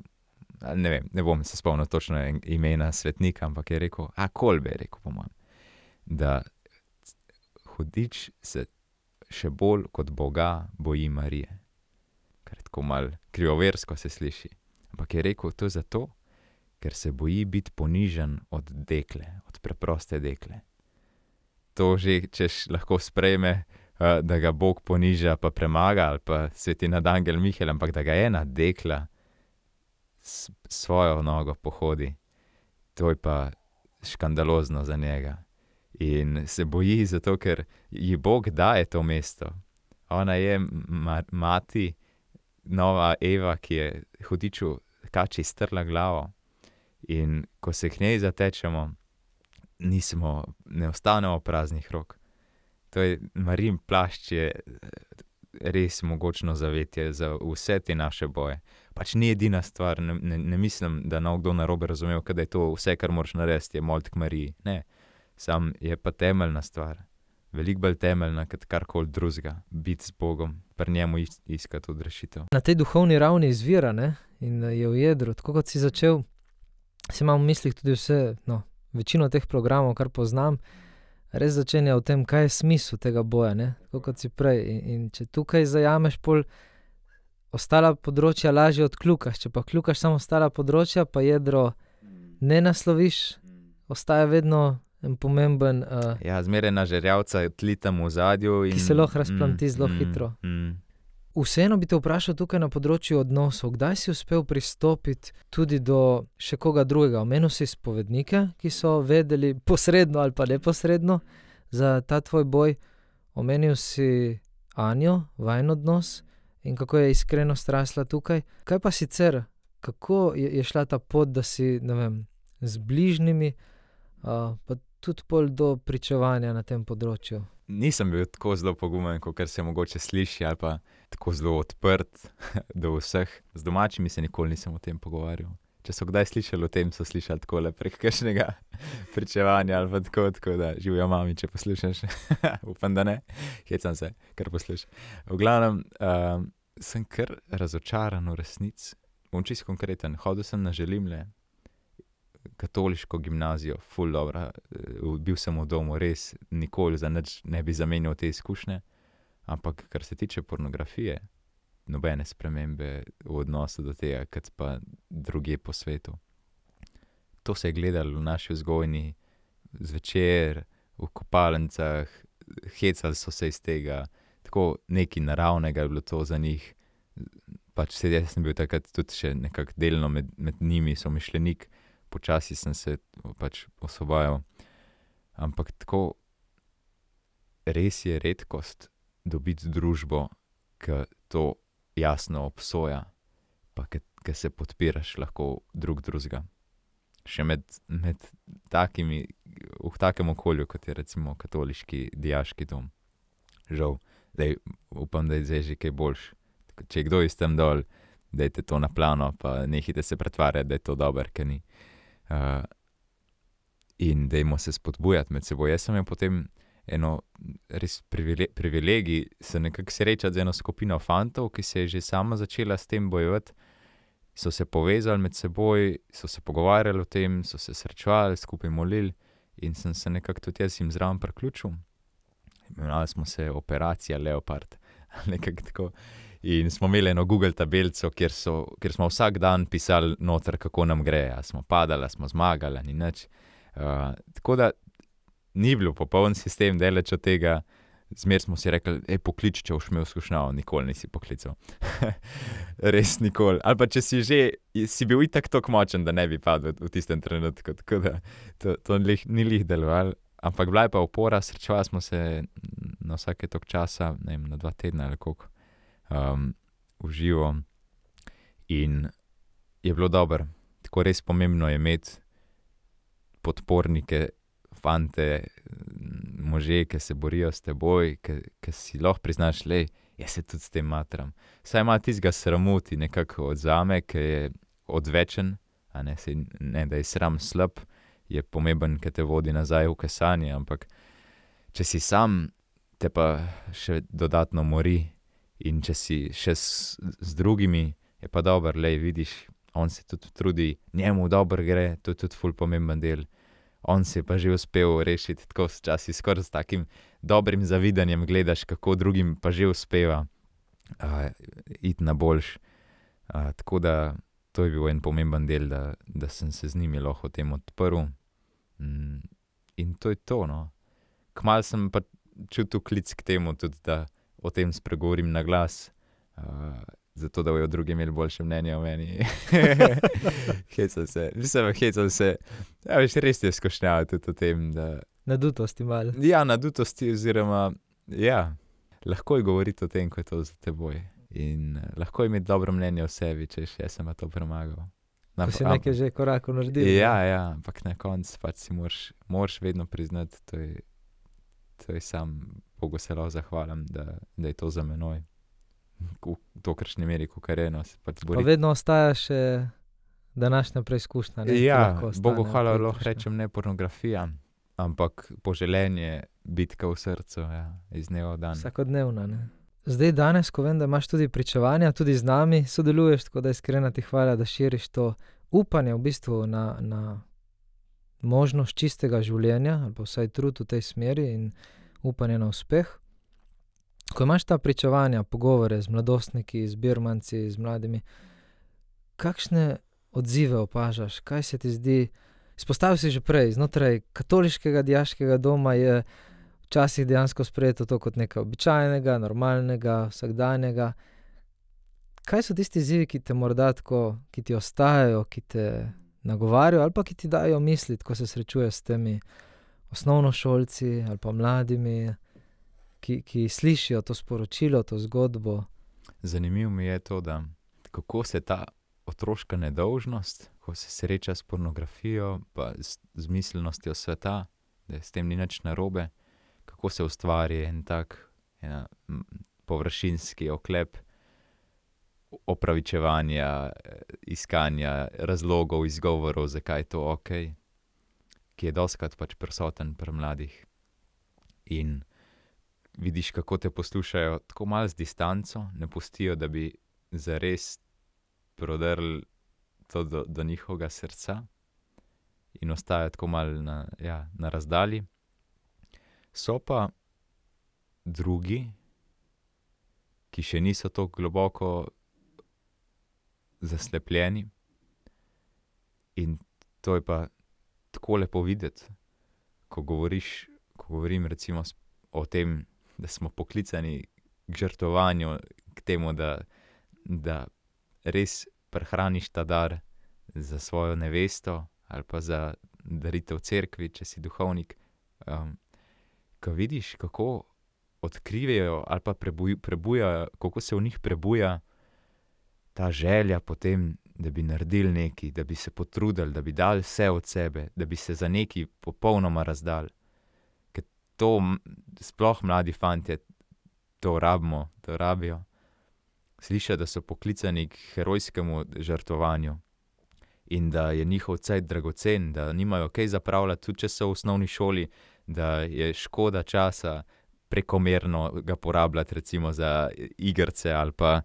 ne vem, ne bom se spomnil točno imena svetnika, ampak je rekel, Kolbe je rekel po mojem, da hudič se še bolj kot Boga boji Marije. Kar je tako malo krivoversko se sliši. Ampak je rekel, to je zato, ker se boji biti ponižen od dekle, od preproste dekle. To že, češ lahko sprejme, da ga Bog poniža pa premaga, ali pa sveti nadangel Mihael, ampak da ga ena dekla svojo nogo pohodi, to je pa škandalozno za njega. In se boji zato, ker ji Bog daje to mesto. Ona je mati, nova Eva, ki je hudiču kači strla glavo. In ko se k njej zatečemo, ne ostanemo praznih rok. To je Marijin plašč je res mogočno zavetje za vse te naše boje. Pač ni edina stvar, ne mislim, da kdo narobe razumel, da je to vse, kar moraš narediti, je moliti k Mariji. Ne, sam je pa temeljna stvar. Veliko bolj temeljna, kot karkoli drugega. Biti z Bogom, pri njemu iskati odrešitev. Na tej duhovni ravni izvira, ne? In je v jedru. Tako kot si začel, si imam v mislih tudi vse, večino teh programov, kar poznam, res začenja v tem, kaj je smisel tega boja, ne? Tako kot si prej. In če tukaj zajameš pol ostala področja, lažje odkljukaš. Če pa kljukaš samo ostala področja, pa jedro ne nasloviš, ostaja vedno en pomemben... zmeraj na žerjavca tli tam v zadju. Ki se lahko razplanti zelo hitro. Vseeno bi te vprašal tukaj na področju odnosov. Kdaj si uspel pristopiti tudi do še koga drugega? Omenil si spovednike, ki so vedeli posredno ali pa neposredno za ta tvoj boj. Omenil si Anjo, vajin odnos in kako je iskrenost rasla tukaj. Kaj pa sicer? Kako je šla ta pot, da si, ne vem, z bližnjimi, pa tudi pol do pričevanja na tem področju? Nisem bil tako zelo pogumen, kot se mogoče sliši, ali pa tako zelo odprt do vseh. Z domačimi se nikoli nisem o tem pogovarjal. Če so kdaj slišali o tem, so slišali takole prek kakšnega pričevanja ali pa tako da živijo mami, če poslušaš. Upam, da ne. Hecam se, kar poslušaš. V glavnem, sem kar razočaran v resnici. Bom čisto konkreten. Hodil sem na Želimlje, katoliško gimnazijo, ful dobra. Bil sem v domu, res nikoli za nič ne bi zamenjal te izkušnje. Ampak kar se tiče pornografije, nobene spremembe v odnosu do tega, kot pa drugje po svetu. To se je gledalo v naši vzgojni zvečer, v kopalnicah, hecali so se iz tega, tako nekaj naravnega je bilo to za njih. Pač sedaj sem bil takrat tudi še nekako delno med njimi, so mišljenik, počasi sem se pač osvobajal. Ampak tako res je redkost dobiti družbo, ki to jasno obsoja, pa ki se podpiraš lahko drug drugega. Še med takimi, v takem okolju, kot je recimo katoliški dijaški dom. Žal, upam, da je zdaj že kaj boljš. Če je kdo iz tam dol, dajte to na plano, pa nehajte se pretvarjati, da je to dober, ker ni. In dajmo se spodbujati med seboj. Jaz sem imel potem eno res privilegij se nekako srečati z eno skupino fantov, ki se je že sama začela s tem bojevati. So se povezali med seboj, so se pogovarjali o tem, so se srečevali, skupaj molili in sem se nekako tudi jaz jim zraven priključil. Imenovali smo se Operacija Leopard, nekako tako. In smo imeli eno Google tabelico, kjer smo vsak dan pisali noter, kako nam gre. A smo padali, a smo zmagali, ni nič. Tako da ni bil popoln sistem, daleč od tega. Zmer smo si rekli, poklič, če boš imel skušnjavo. Nikoli nisi poklical. Res nikoli. Ali pa če si bil itak toliko močen, da ne bi padel v tistem trenutku. Tako da to ni lih delovalo. Ampak bila je pa opora, srečevali smo se na vsake toliko časa, ne vem, na 2 tedna ali koliko. V živo in je bilo dobro. Tako res pomembno je imeti podpornike, fante, može, ki se borijo s teboj, ki si lahko priznaš, lej, jaz se tudi s tem matram. Saj ima tistega sramuti nekako odzame, ki je odvečen, a ne, da je sram slab, je pomemben, ki te vodi nazaj v kesanje, ampak če si sam, te pa še dodatno mori in če si še z drugimi, je pa dobro, lej, vidiš, on se tudi trudi, njemu dobro gre, to je tudi ful pomemben del. On si je pa že uspel rešiti, tako včasih skoraj s takim dobrim zavidanjem gledaš, kako drugim pa že uspeva iti na boljš. Tako da to je bil en pomemben del, da sem se z njimi lahko o tem odprl. In to je to, no. Kmalu sem pa čutil klic k temu tudi, da o tem spregovorim na glas, zato da bojo drugi imeli boljše mnenje o meni. Hecam se. Ja, veš, res je skušnjava tudi o tem, da... Nadutosti malo. Ja, nadutosti oziroma, ja, lahko je govoriti o tem, ko je to za teboj. In lahko je imeti dobro mnenje o sebi, češ, jaz sem to premagal. Ko si nekaj že korakov naredil. Ja, ampak na koncu pač si moraš vedno priznati, to je sam Bogu se lahko zahvalim, da je to za menoj. V tokršni meri, kakor je, no, se pač bori. Pa vedno ostaja še današnja preizkušnja. Ja, Bogu hvala, lahko rečem ne pornografija, ampak poželenje, bitka v srcu, ja, iz dneva v dan. Vsakodnevna, ne. Zdaj danes, ko vem, da imaš tudi pričevanja, tudi z nami sodeluješ, tako da iskrena ti hvala, da širiš to upanje v bistvu na možnost čistega življenja, ali pa vsaj trud v tej smeri in upanje na uspeh. Ko imaš ta pričevanja, pogovore z mladostniki, z birmanci, z mladimi, kakšne odzive opažaš? Kaj se ti zdi? Izpostavil si že prej, znotraj katoliškega dijaškega doma je včasih dejansko sprejeto to kot nekaj običajnega, normalnega, vsakdanjega. Kaj so tisti izzivi, ki te morda tako, ki ti ostajajo, ki te nagovarjajo ali pa ki ti dajo misliti, ko se srečuješ s temi osnovnošolci ali pa mladimi, ki slišijo to sporočilo, to zgodbo? Zanimivo mi je to, da kako se ta otroška nedolžnost, ko se sreča s pornografijo pa z miselnostjo sveta, da s tem ni nič narobe, kako se ustvari en tak površinski oklep opravičevanja, iskanja razlogov, izgovorov, zakaj je to okej, ki je dostikrat pač prisoten pri mladih. In vidiš, kako te poslušajo tako malo z distanco, ne pustijo, da bi zares prodrli to do njihovega srca in ostajajo tako malo na razdalji. So pa drugi, ki še niso tako globoko zaslepljeni in to je pa tako lepo videti, ko govorim recimo o tem, da smo poklicani k žrtvovanju, k temu, da res prehraniš ta dar za svojo nevesto ali pa za daritev cerkvi, če si duhovnik. Ko vidiš, kako odkrivajo ali pa prebujajo, kako se v njih prebuja ta želja potem, da bi naredili nekaj, da bi se potrudili, da bi dali vse od sebe, da bi se za nekaj popolnoma razdali. Ker to sploh mladi fantje to rabijo. Slišijo, da so poklicani k herojskemu žrtvovanju in da je njihov cajt dragocen, da nimajo kaj zapravljati, tudi če so v osnovni šoli, da je škoda časa prekomerno ga porabljati recimo za igrice ali pa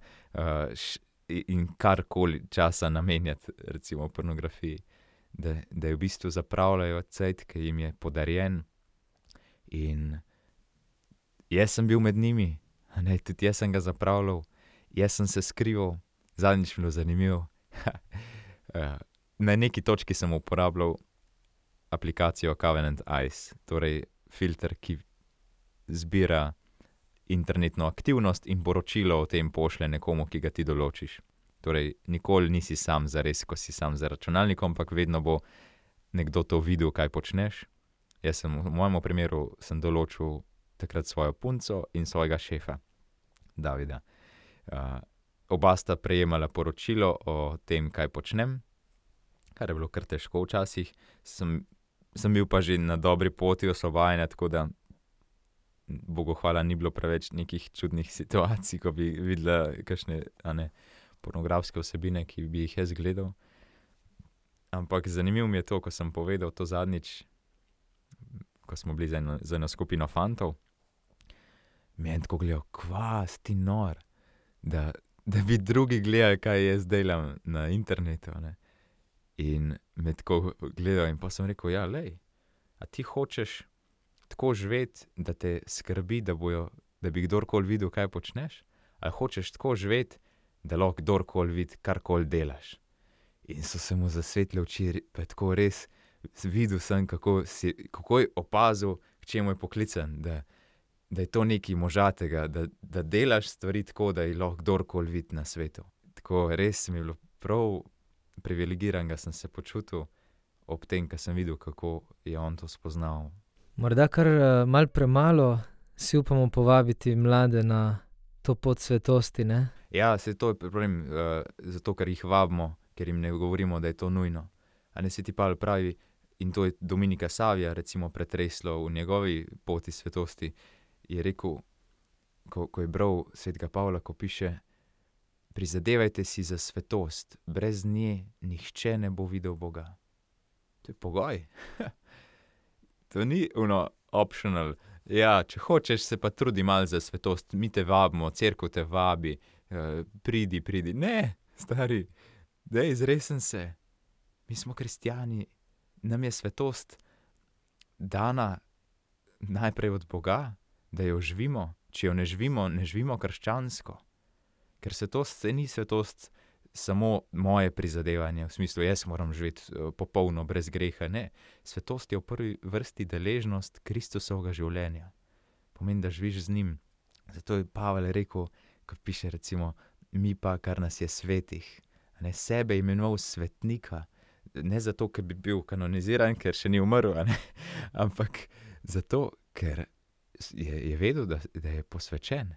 in karkoli časa namenjati recimo pornografiji. Da je v bistvu zapravljajo cajt, ki jim je podarjen. In jaz sem bil med njimi, tudi jaz sem ga zapravljal, jaz sem se skrival, zadnjič bilo zanimivo. Na neki točki sem uporabljal aplikacijo Covenant Eyes, torej filter, ki zbira internetno aktivnost in poročilo o tem pošlje nekomu, ki ga ti določiš. Torej, nikoli nisi sam zares, ko si sam za računalnikom, ampak vedno bo nekdo to videl, kaj počneš. Jaz sem v mojem primeru določil takrat svojo punco in svojega šefa, Davida. Oba sta prejemala poročilo o tem, kaj počnem, kar je bilo kar težko včasih. Sem sem bil pa že na dobri poti osvobajanja, tako da Bogu hvala, ni bilo preveč nekih čudnih situacij, ko bi videla kakšne pornografske vsebine, ki bi jih jaz gledal. Ampak zanimivo mi je to, ko sem povedal to zadnjič, ko smo bili z eno skupino fantov, mi je tako gledal, kva, si ti nor, da bi drugi gledali, kaj jaz delam na internetu, ne. In me tako gledal in pa sem rekel, ja, lej, a ti hočeš tako živeti, da te skrbi, da bi kdorkoli videl, kaj počneš, ali hočeš tako živeti, da lahko kdorkoli vidi, karkoli delaš. In so se mu zasvetlile oči, pa je tako res videl sem, kako je opazil, k čemu je poklican, da je to nekaj možatega, da delaš stvari tako, da jih lahko kdorkoli vidi na svetu. Tako res mi je bilo prav privilegiranega sem se počutil ob tem, ko sem videl, kako je on to spoznal. Morda kar malo premalo si upamo povabiti mlade na to pot svetosti, ne? Ja, saj to je problem, zato ker jih vabimo, ker jim ne govorimo, da je to nujno. A ne, se ti Pavel pravi, in to je Dominika Savija recimo pretreslo v njegovi poti svetosti, je rekel, ko je bral svetega Pavla, ko piše, prizadevajte si za svetost, brez nje nihče ne bo videl Boga. To je pogoj. To ni optional. Ja, če hočeš, se pa trudi malo za svetost, mi te vabimo, cerkev te vabi, pridi. Ne, stari, daj, zresen se. Mi smo kristjani, nam je svetost dana najprej od Boga, da jo živimo. Če jo ne živimo krščansko. Ker svetost ni svetost samo moje prizadevanje, v smislu, jaz moram živeti popolno, brez greha, ne. Svetost je v prvi vrsti deležnost Kristusovega življenja. Pomeni, da živiš z njim. Zato je Pavel rekel, ko piše recimo, mi pa, kar nas je svetih, ne, sebe imenoval svetnika, ne zato, ker bi bil kanoniziran, ker še ni umrl, ampak zato, ker je vedel, da je posvečen,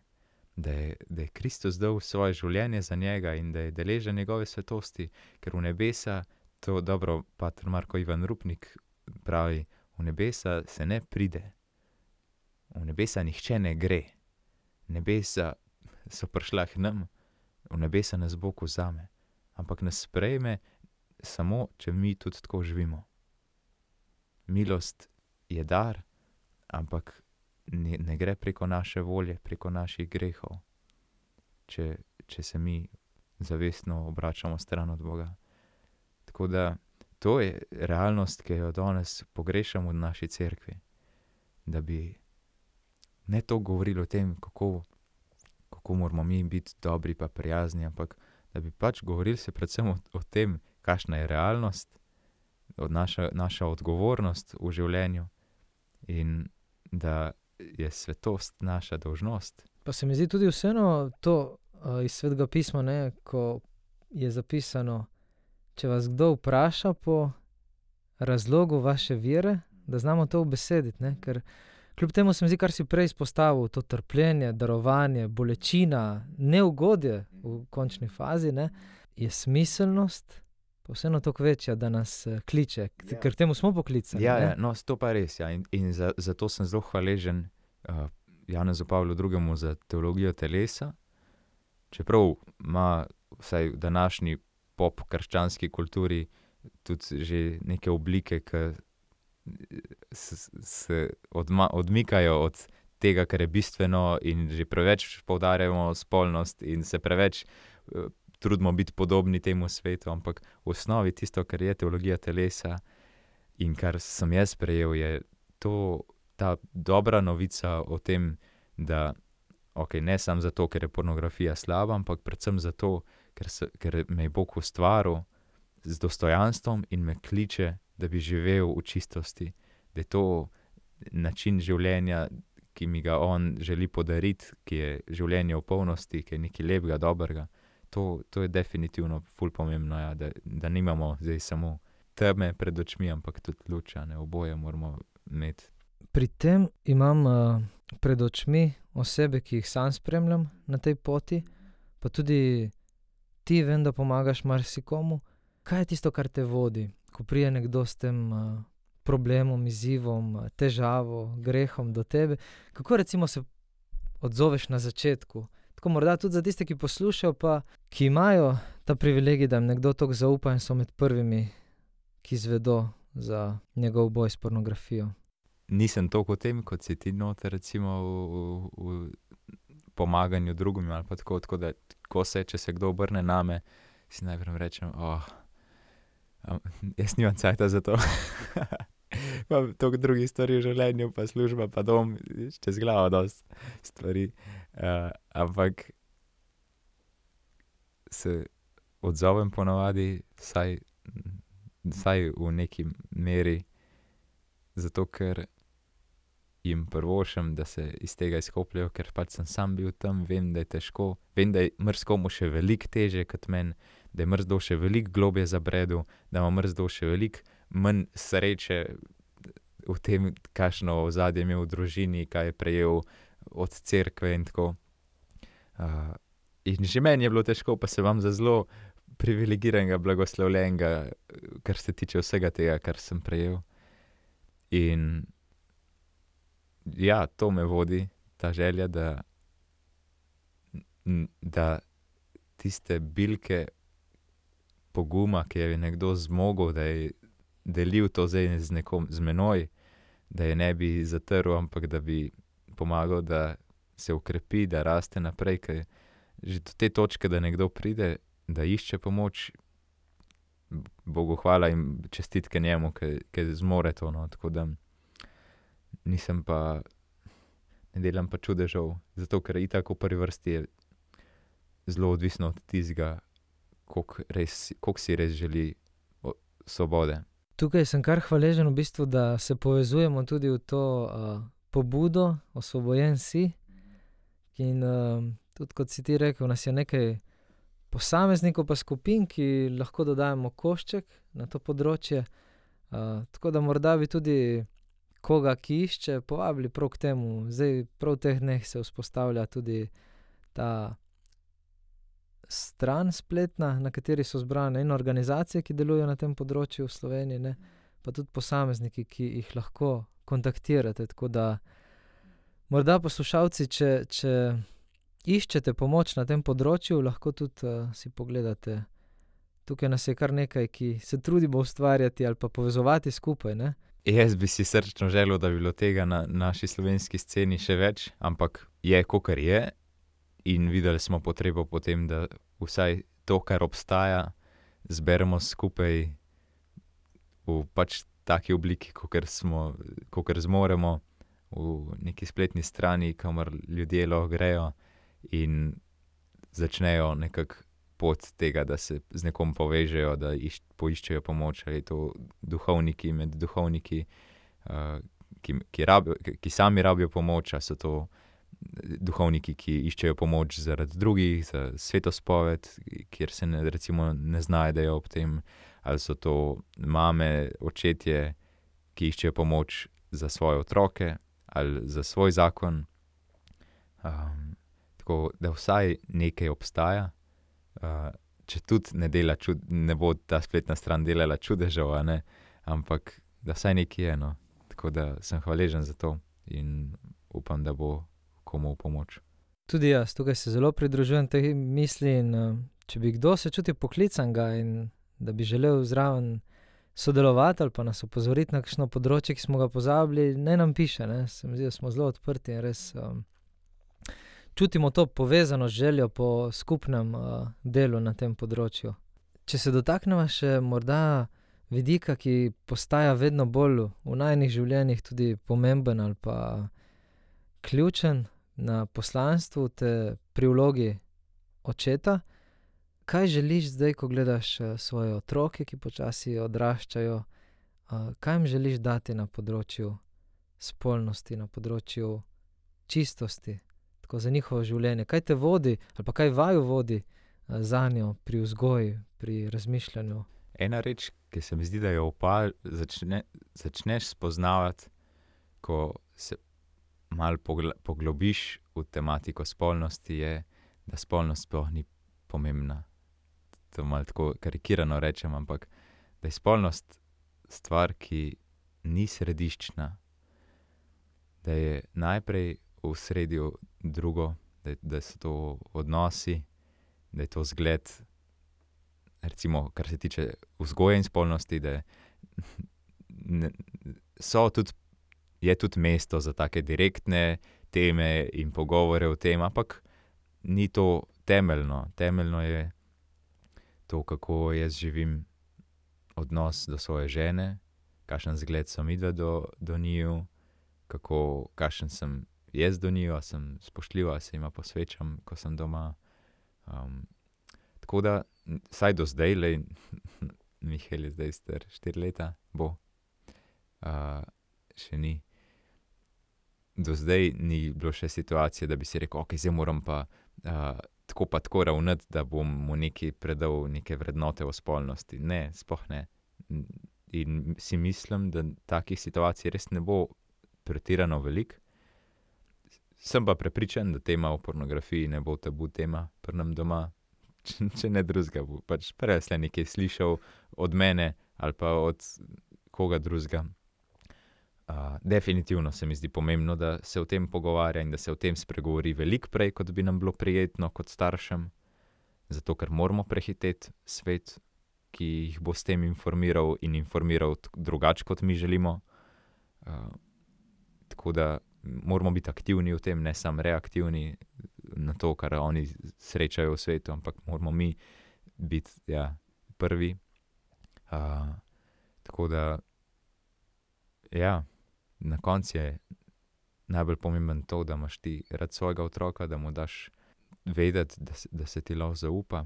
da je Kristus dal svoje življenje za njega in da je deležen njegove svetosti, ker v nebesa, to dobro pater Marko Ivan Rupnik pravi, v nebesa se ne pride, v nebesa nihče ne gre, nebesa so prišla k nam, v nebesa nas Bog vzame, ampak nas sprejme samo, če mi tudi tako živimo. Milost je dar, ampak ne gre preko naše volje, preko naših grehov, če se mi zavestno obračamo stran od Boga. Tako da to je realnost, ki jo danes pogrešamo v naši cerkvi. Da bi ne to govorili o tem, kako moramo mi biti dobri pa prijazni, ampak da bi pač govorili se predvsem o tem, kakšna je realnost, naša odgovornost v življenju in da je svetost naša dolžnost. Pa se mi zdi tudi vseeno to iz Svetega pisma, ne, ko je zapisano, če vas kdo vpraša po razlogu vaše vere, da znamo to ubesediti, ne, ker kljub temu se mi zdi, kar si prej izpostavil, to trpljenje, darovanje, bolečina, neugodje v končni fazi, ne, je smiselnost pa vseeno toliko večja, da nas kliče, ker temu smo poklicani. Ja, no, to pa res, ja. In zato sem zelo hvaležen Janezu Pavlu II. Za teologijo telesa, čeprav ima vsaj v današnji pop-krščanski kulturi tudi že neke oblike, ki se odmikajo od tega, kar je bistveno in že preveč poudarjamo spolnost in se preveč trudimo biti podobni temu svetu, ampak v osnovi tisto, kar je teologija telesa in kar sem jaz prejel, je ta dobra novica o tem, da ne samo zato, ker je pornografija slaba, ampak predvsem zato, ker me je Bog ustvaril z dostojanstvom in me kliče, da bi živel v čistosti, da je to način življenja, ki mi ga on želi podariti, ki je življenje v polnosti, ki je nekaj lepega, dobrega. To je definitivno ful pomembno, ja, da nimamo zdaj samo teme pred očmi, ampak tudi luč, oboje moramo imeti. Pri tem imam pred očmi osebe, ki jih sam spremljam na tej poti, pa tudi ti vem, da pomagaš marsikomu. Kaj je tisto, kar te vodi, ko prije nekdo s tem problemom, izzivom, težavo, grehom do tebe. Kako recimo se odzoveš na začetku? Tako morda tudi za tiste, ki poslušajo, pa ki imajo ta privilegij, da jim nekdo toliko zaupa in so med prvimi, ki izvedo za njegov boj s pornografijo. Nisem toliko o tem, kot si ti noter, recimo v pomaganju drugim ali pa tako da, če se kdo obrne name, si najprej rečem, jaz nimam cajta za to. Imam toliko drugih stvari v življenju, pa služba, pa dom, čez glavo dosti stvari. Ampak se odzovem ponavadi, vsaj v neki meri, zato ker jim privoščim, da se iz tega izkopljejo, ker pač sem sam bil tam, vem, da je težko, vem, da je marsikomu še veliko težje kot meni, da je marsikdo še veliko globje zabredel, da ima marsikdo še veliko manj sreče v tem, kakšno ozadje je imel v družini, kaj je prejel od cerkve in tako. In že meni je bilo težko, pa se vam za zelo privilegiranega, blagoslovljenega, kar se tiče vsega tega, kar sem prejel. In ja, to me vodi, ta želja, da tiste bilke poguma, ki je nekdo zmogel, da je delil to zdaj z menoj, da je ne bi zatrl, ampak da bi pomagal, da se ukrepi, da raste naprej, ker že do te točke, da nekdo pride, da išče pomoč, Bogu hvala in čestitke njemu, ki zmore to, no, tako da ne delam pa čudežev, zato ker itak v prvi vrsti je zelo odvisno od tistega, koliko si res želi svobode. Tukaj sem kar hvaležen v bistvu, da se povezujemo tudi v to pobudo, osvobojen si. In tudi kot si ti rekel, nas je nekaj posameznikov pa skupin, ki lahko dodajemo košček na to področje. Tako da morda bi tudi koga, ki išče, povabili prav k temu. Zdaj prav v teh dneh se vzpostavlja tudi ta stran spletna, na kateri so zbrane in organizacije, ki delujejo na tem področju v Sloveniji, ne, pa tudi posamezniki, ki jih lahko kontaktirate. Tako da morda poslušalci, če iščete pomoč na tem področju, lahko tudi si pogledate. Tukaj nas je kar nekaj, ki se trudimo ustvarjati ali pa povezovati skupaj, ne. Jaz bi si srčno želel, da bi bilo tega na naši slovenski sceni še več, ampak je, kakor je, in videli smo potrebo potem, da vsaj to, kar obstaja, zberemo skupaj v pač taki obliki, kakor zmoremo, v neki spletni strani, kamor ljudje lahko grejo in začnejo nekako pot tega, da se z nekom povežejo, da poiščejo pomoč, ali je to duhovniki med duhovniki, ki sami rabijo pomoč, ali so to duhovniki, ki iščejo pomoč zaradi drugih, za svetospoved, kjer se recimo ne znajdejo ob tem, ali so to mame, očetje, ki iščejo pomoč za svoje otroke ali za svoj zakon. Tako da vsaj nekaj obstaja. Če tudi ne bo ta spletna stran delala čudežev, ampak da vsaj nekaj je, no. Tako da sem hvaležen za to in upam, da bo komu v pomoč. Tudi jaz, tukaj se zelo pridružujem tej misli in če bi kdo se čutil poklicanega in da bi želel zraven sodelovati ali pa nas opozoriti na kakšno področje, ki smo ga pozabili, naj nam piše, ne. Se mi zdi, da smo zelo odprti in res čutimo to povezano željo po skupnem delu na tem področju. Če se dotaknemo še morda vidika, ki postaja vedno bolj v najinih življenjih tudi pomemben ali pa ključen na poslanstvu te pri vlogi očeta. Kaj želiš zdaj, ko gledaš svoje otroke, ki počasi odraščajo, kaj jim želiš dati na področju spolnosti, na področju čistosti, tako za njihovo življenje? Kaj te vodi ali pa kaj vaju vodi zanjo pri vzgoji, pri razmišljanju? Ena reč, ki se mi zdi, da jo začneš spoznavati, ko se malo poglobiš v tematiko spolnosti, je, da spolnost sploh ni pomembna. To malo tako karikirano rečem, ampak da je spolnost stvar, ki ni središčna, da je najprej v sredju drugo, da so to odnosi, da je to zgled, recimo, kar se tiče vzgoje in spolnosti, da je tudi mesto za take direktne teme in pogovore o tem, ampak ni to temeljno. Temeljno je to, kako jaz živim odnos do svoje žene, kakšen zgled sem midva do njiju, kakšen sem jaz do njiju, a sem spoštljiv, a se jima posvečam, ko sem doma. Tako da, vsaj do zdaj, Mihael je zdaj star 4 leta, bo, še ni. Do zdaj ni bilo še situacije, da bi si rekel, ok, zdaj moram pa tako ravnati, da bom mu nekaj predal, neke vrednote o spolnosti. Ne, sploh ne. In si mislim, da takih situacij res ne bo pretirano veliko. Sem pa prepričan, da tema o pornografiji ne bo tabu tema pri nam doma. Če ne drugega, bo pač prej nekaj slišal od mene ali pa od koga drugega. Definitivno se mi zdi pomembno, da se o tem pogovarja in da se o tem spregovori veliko prej, kot bi nam bilo prijetno kot staršem, zato ker moramo prehiteti svet, ki jih bo s tem informiral in informiral drugače, kot mi želimo. Tako da moramo biti aktivni v tem, ne samo reaktivni na to, kar oni srečajo v svetu, ampak moramo mi biti prvi. Tako da, na koncu je najbolj pomemben to, da imaš ti rad svojega otroka, da mu daš vedeti, da se ti lahko zaupa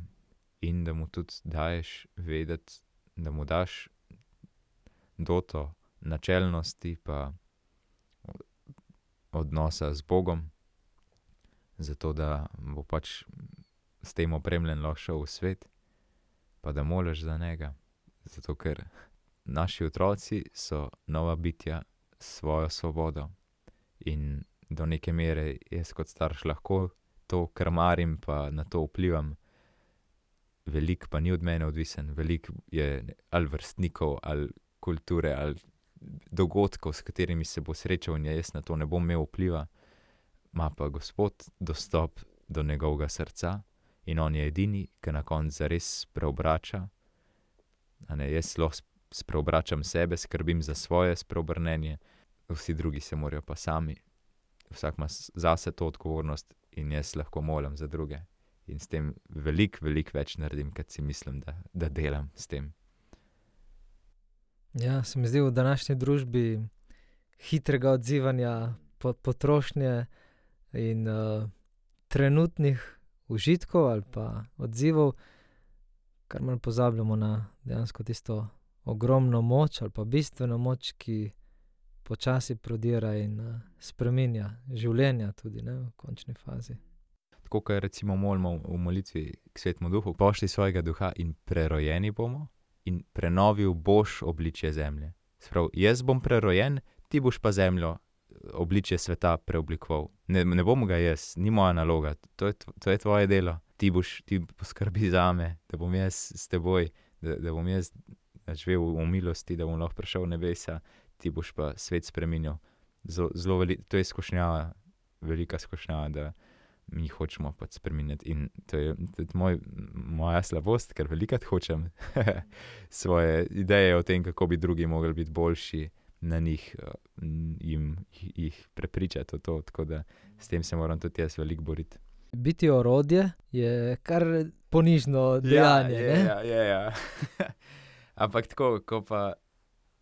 in da mu tudi daješ vedeti, da mu daš doto načelnosti pa odnosa z Bogom, zato da bo pač s tem opremljen lahko šel v svet, pa da moliš za njega. Zato ker naši otroci so nova bitja s svojo svobodo in do neke mere jaz kot starš lahko to krmarim pa na to vplivam. Veliko pa ni od mene odvisen, veliko je ali vrstnikov, ali kulture, ali dogodkov, s katerimi se bo srečal in jaz na to ne bom imel vpliva. Ima pa Gospod dostop do njegovega srca in on je edini, ki na koncu zares preobrača. Jaz lahko spreobračam sebe, skrbim za svoje spreobrnenje, vsi drugi se morajo pa sami. Vsak ima zase to odgovornost in jaz lahko molim za druge. In s tem veliko več naredim, kot si mislim, da delam s tem. Ja, se mi zdi v današnji družbi hitrega odzivanja potrošnje in trenutnih užitkov ali pa odzivov, kar malo pozabljamo na dejansko tisto ogromno moč ali pa bistveno moč, ki počasi prodira in spreminja življenja tudi, ne, v končni fazi. Tako, kot recimo molimo v molitvi k Svetemu Duhu, pošlji svojega duha in prerojeni bomo in prenovil boš obličje zemlje. Sprav, jaz bom prerojen, ti boš pa zemljo, obličje sveta preoblikoval. Ne bom ga jaz, ni moja naloga, to je tvoje delo. Ti poskrbi zame, da bom jaz s teboj, da bom jaz živel v milosti, da bom lahko prišel v nebesa, ti boš pa svet spreminjal. To je skušnjava, velika skušnjava, da mi hočemo pač spreminjati. In to je tudi moja slabost, ker velikrat hočem svoje ideje o tem, kako bi drugi mogli biti boljši, na njih jih prepričati o to, tako da s tem se moram tudi jaz veliko boriti. Biti orodje je kar ponižno dejanje, ne? Ja. Ampak tako, ko pa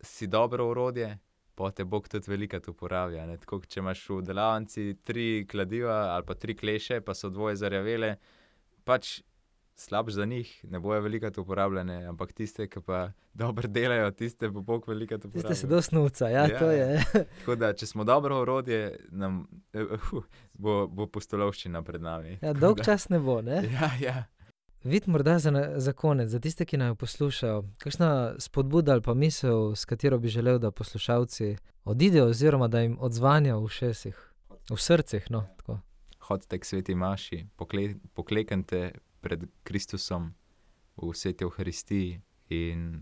si dobro orodje, pa te Bog tudi velikrat uporablja, ne? Tako, če imaš v delavnici 3 kladiva ali pa 3 kleše, pa so 2 zarjavele, pač slabš za njih, ne bojo velikrat uporabljene, ampak tiste, ki pa dobro delajo, tiste bo Bog velikrat uporablja. Tiste se do snuca, to je. Tako da, če smo dobro orodje, nam bo pustolovščina pred nami. Ja, dolg čas ne bo, ne? Ja. Vid, morda za konec, za tiste, ki naj poslušajo, kakšna spodbuda ali pa misel, s katero bi želel, da poslušalci odidejo oziroma da jim odzvanja v ušesih, v srcih, no, tako. Hodite k sveti maši, pokleknite pred Kristusom v sveti Evharistiji in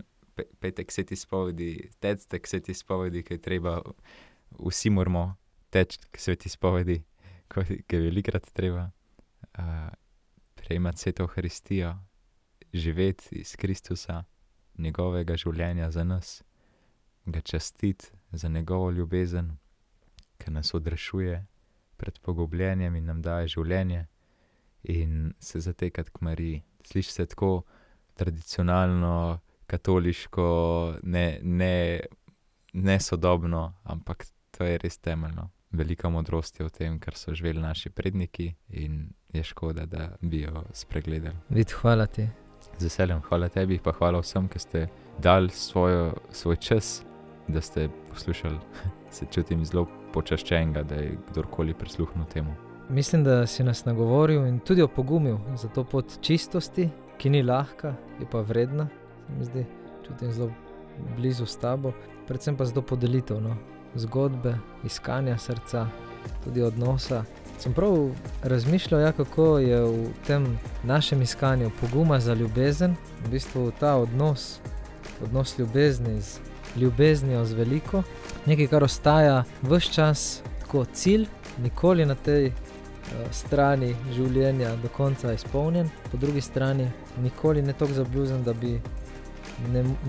petek se ti spovedi, tectek se ti spovedi, kaj treba, vsi moramo teči k sveti spovedi, kaj je velikrat treba, prejemati sveto Euharistijo, živeti iz Kristusa, njegovega življenja za nas, ga častiti za njegovo ljubezen, ki nas odrešuje pred pogubljenjem in nam daje življenje, in se zatekati k Mariji. Sliši se tako tradicionalno, katoliško, ne sodobno, ampak to je res temeljno. Velika modrost je v tem, kar so živeli naši predniki, in je škoda, da bi jo spregledali. Vid, hvala ti. Z veseljem, hvala tebi, pa hvala vsem, ki ste dali svoj čas, da ste poslušali. Se čutim zelo počaščenega, da je kdorkoli prisluhnil temu. Mislim, da si nas nagovoril in tudi opogumil za to pot čistosti, ki ni lahka, je pa vredna, se mi zdi, čutim zelo blizu s tabo, predvsem pa za to podelitev, no? Zgodbe, iskanja srca, tudi odnosa. Sem prav razmišljal, kako je v tem našem iskanju poguma za ljubezen, v bistvu ta odnos ljubezni z ljubeznijo z veliko, nekaj, kar ostaja ves čas tako cilj, nikoli na tej strani življenja do konca izpolnjen, po drugi strani nikoli ne toliko zabljuzen, da bi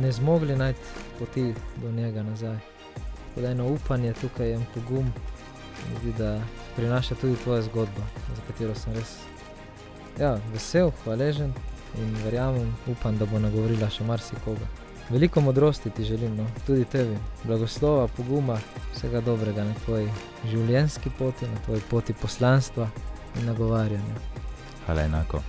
ne zmogli najti poti do njega nazaj. Tako da eno upanje tukaj, en pogum, zdi, da prinaša tudi tvoja zgodba, za katero sem res vesel, hvaležen in verjamem, upam, da bo nagovorila še marsikoga. Veliko modrosti ti želim, no, tudi tebi, blagoslova, poguma, vsega dobrega na tvoji življenjski poti, na tvoji poti poslanstva in nagovarjanja. Hvala enako.